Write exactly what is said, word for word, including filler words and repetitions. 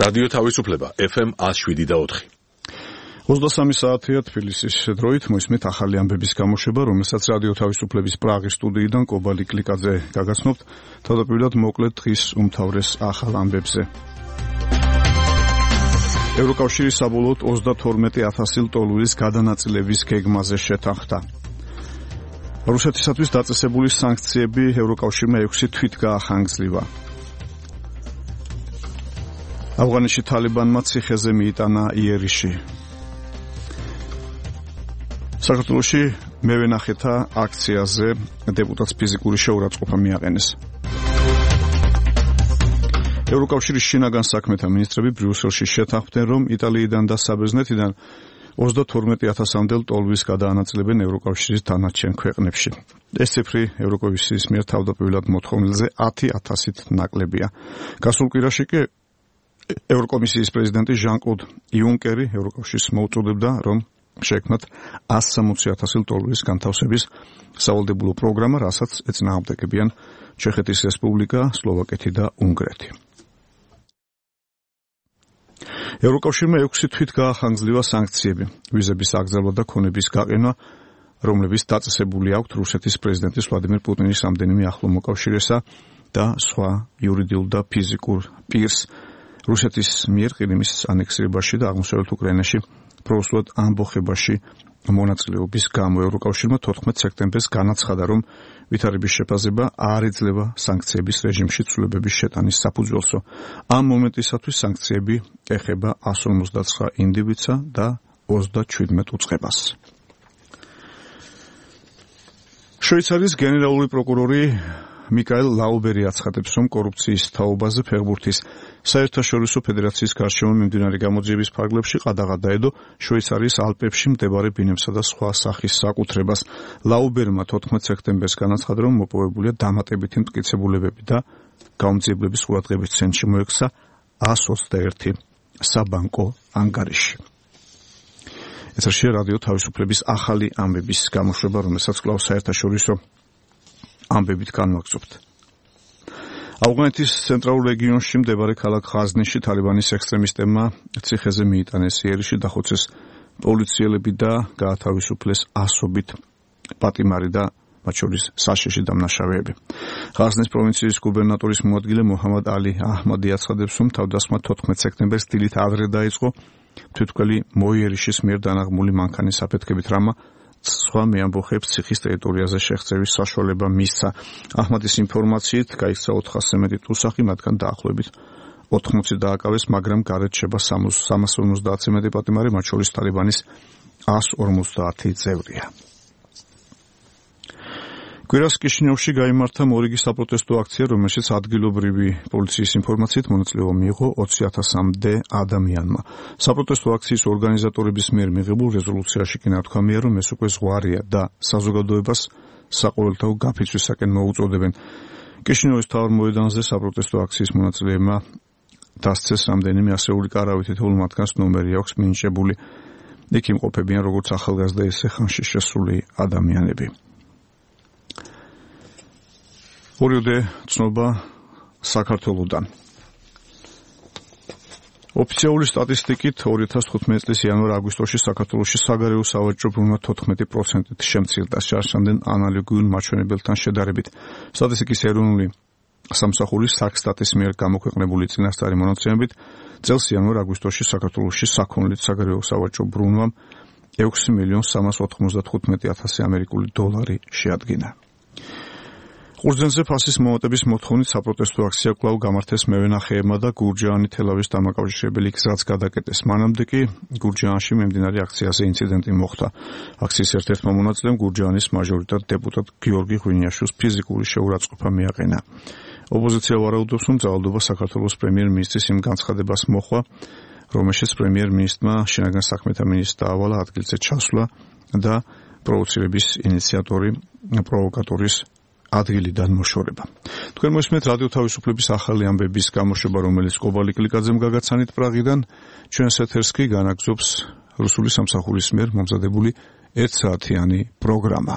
რადიო თავისუფლება ეფ ემ one oh seven და four. ოცდასამი საათია თბილისის დროით მოისმენთ ახალი ამბების გამოშვება, რომელსაც რადიო თავისუფლების პრაღის სტუდიიდან კობალი კლიკაძე გაგაცნობთ. თავდაპირველად მოკლედ დღის უმთავრეს ახალ ამბებზე. ევროკავშირი საბოლოოდ ოცდათორმეტი ათასი ლტოლვილის გადანაწილების გეგმაზე შეთანხმდა. რუსეთისათვის დაწესებული სანქციები ევროკავშირმა ექვსი თვით გაახანგრძლივა. ავღანეთში თალიბანმა ციხეზე მიიტანა იერიში. საქართველოში მევენახეთა აქციაზე დეპუტატს ფიზიკური შეურაცხყოფა მიაყენეს. ევროკავშირის შინაგან საქმეთა მინისტრები ბრიუსელში შეთანხმდნენ, რომ იტალიიდან და საბერძნეთიდან ოცდათორმეტი ათასამდე ლტოლვილს გადაანაწილებენ ევროკავშირის დანარჩენ ქვეყნებში. ეს ციფრი ევროკავშირის მიერ თავდაპირველად მოთხოვნილზე ათი ათასით ნაკლებია. გასულ კვირაში კი ევროკომისიის პრეზიდენტი ჟან-კლოდ იუნკერი ევროკავშირს მოუწოდებდა, რომ შექმნათ one hundred sixty ათასი ლტოლვილის განთავსების სავალდებულო პროგრამა, რასაც ეწინააღმდეგებიან ჩეხეთის რესპუბლიკა, სლოვაკეთი და უნგრეთი. ევროკავშირმა ექვსი თვით გაახანგრძლივა სანქციები, ვიზების აგზავნა და ქონების გაყენვა, რომლებიც დაწესებული აქვთ რუსეთის პრეზიდენტის ვლადიმერ პუტინის რამდენიმე ახლო მოკავშირესა და სხვა იურიდიულ და ფიზიკურ პირს რუსეთის მიერ ყირიმის ანექსირებაში და აღმოსავლეთ უკრაინაში პროუსულად ამბოხებაში მონაწილეობის გამო ევროკავშირმა თოთხმეტ სექტემბერს განაცხადა, რომ ვითარების შეფასება არ ეძლევა სანქციების რეჟიმში ცვლილებების შეტანის საფუძველსო. ამ მომენტისათვის სანქციები ეხება one hundred fifty-nine ინდივიდსა და ოცდაჩვიდმეტ უწყებას. შვეიცარიის გენერალური პროკურორი მიკაელ ლაუბერი აცხადებს, რომ კორუფციის თაობაზე ფეხბურთის საერთაშორისო ფედერაციის გარშემო მიმდინარე გამოძიების ფარგლებში ყადაღა დაედო შვეიცარიის ალპებში მდებარე ბინებსა და სხვა სახის საკუთრებას. ლაუბერმა თოთხმეტ სექტემბერს განაცხადა, რომ მოპოვებულია დამატებითი მტკიცებულებები და გამოძიებლების ყურადღების ცენტრში მოექცა one hundred twenty-one საბანკო ანგარიში. ეთერშია რადიო თავისუფლების ახალი ამბების გამოშვება, რომელსაც კვლავ საერთაშორისო ამბებით განვაგრძობთ. ავღანეთის ცენტრალურ რეგიონში მდებარე ქალაქ ღაზნიში თალიბანის ექსტრემისტებმა ციხეზე მიიტანეს იერიში, დახოცეს პოლიციელები და გაათავისუფლეს ასობით პატიმარი და მათ შორის საშიში დამნაშავეები. ღაზნის პროვინციის გუბერნატორის მოადგილე მოჰამად ალი აჰმადი აცხადებს, რომ თავდასხმა თოთხმეტ სექტემბერს დილით ადრე დაიწყო, თვითმკვლელი მოიერიშის მიერ დანაღმული მანქანის აფეთქებით, რამა სხვა მეამბოხებს ციხის ტერიტორიაზე შეღწევის საშუალება მისცა. აჰმადის ინფორმაციით გაიქცა ოთხასზე მეტი ტუსახი, მათგან დაახლოებით ოთხმოცი დააკავეს, მაგრამ გარეთ შეება სამას ორმოცდაათზე მეტი პატიმარი, მათ შორის თალიბანის one hundred fifty წევრია. კვირას კიშინიოვში გაიმართა მორიგი საპროტესტო აქცია, რომელშიც ადგილობრივი პოლიციის ინფორმაციით მონაწილეობა მიიღო ოცი ათასამდე ადამიანმა. საპროტესტო აქციის ორგანიზატორების მიერ მიღებულ რეზოლუციაში კი ნათქვამია, რომ ეს უკვე ზღვარია და საზოგადოებას საყოველთაო გაფიცვისაკენ მოუწოდებენ. კიშინიოვის მთავარ მოედანზე საპროტესტო აქციის მონაწილეებმა დასცეს რამდენიმე ასეული კარავი, თითოეულ მათგანს ნომერი აქვს მინიჭებული. იქ იმყოფებიან როგორც ახალგაზრდა, ისე ხანში შესული ადამიანები. ორიოდე ცნობა საქართველოდან. ოფიციალური სტატისტიკით ორი ათას თხუთმეტი წლის იანვარ-აგვისტოში საქართველოში საგარეო სავაჭრო ბრუნვა თოთხმეტი პროცენტით შემცირდა შარშანდელ ანალოგიურ მაჩვენებელთან შედარებით. სტატისტიკის ეროვნული სამსახურის საქსტატის მიერ გამოქვეყნებული წინასწარი მონაცემებით წელს იანვარ-აგვისტოში საქართველოში საქონლით საგარეო სავაჭრო ბრუნვამ ექვსი მილიონი სამას ოთხმოცდათხუთმეტი ათასი ამერიკული დოლარი შეადგინა. ყურძენზე ფასის მომატების მოთხოვნით საპროტესტო აქცია კვლავ გამართეს მევენახეებმა და გურჯაანი-თელავის დამაკავშირებელი გზაც გადაკეტეს. მანამდე კი გურჯაანში მიმდინარე აქციაზე ინციდენტი მოხდა. აქციის ერთ-ერთმა მონაწილემ გურჯაანის მაჟორიტარ დეპუტატ გიორგი ღვინიაშვილს ფიზიკური შეურაცხყოფა მიაყენა. ოპოზიცია ვარაუდობს, რომ ძალადობა საქართველოს პრემიერ-მინისტრის იმ განცხადებას მოხვა, რომელშიც პრემიერ-მინისტრმა შინაგან საქმეთა მინისტრს დაავალა ადგილზე ჩასვლა და პროვოცირების ინიციატორი პროვოკატორის ადგილიდან მოშორება. თქვენ მოსმენთ რადიო თავისუფლების ახალი ამბების გამოშვება, რომელიც კობალი კლიკაძემ გაგაცანით პრაღიდან. ჩვენს ეთერს კი განაგზობს რუსული სამსახურის მიერ მომზადებული ერთ საათიანი პროგრამა.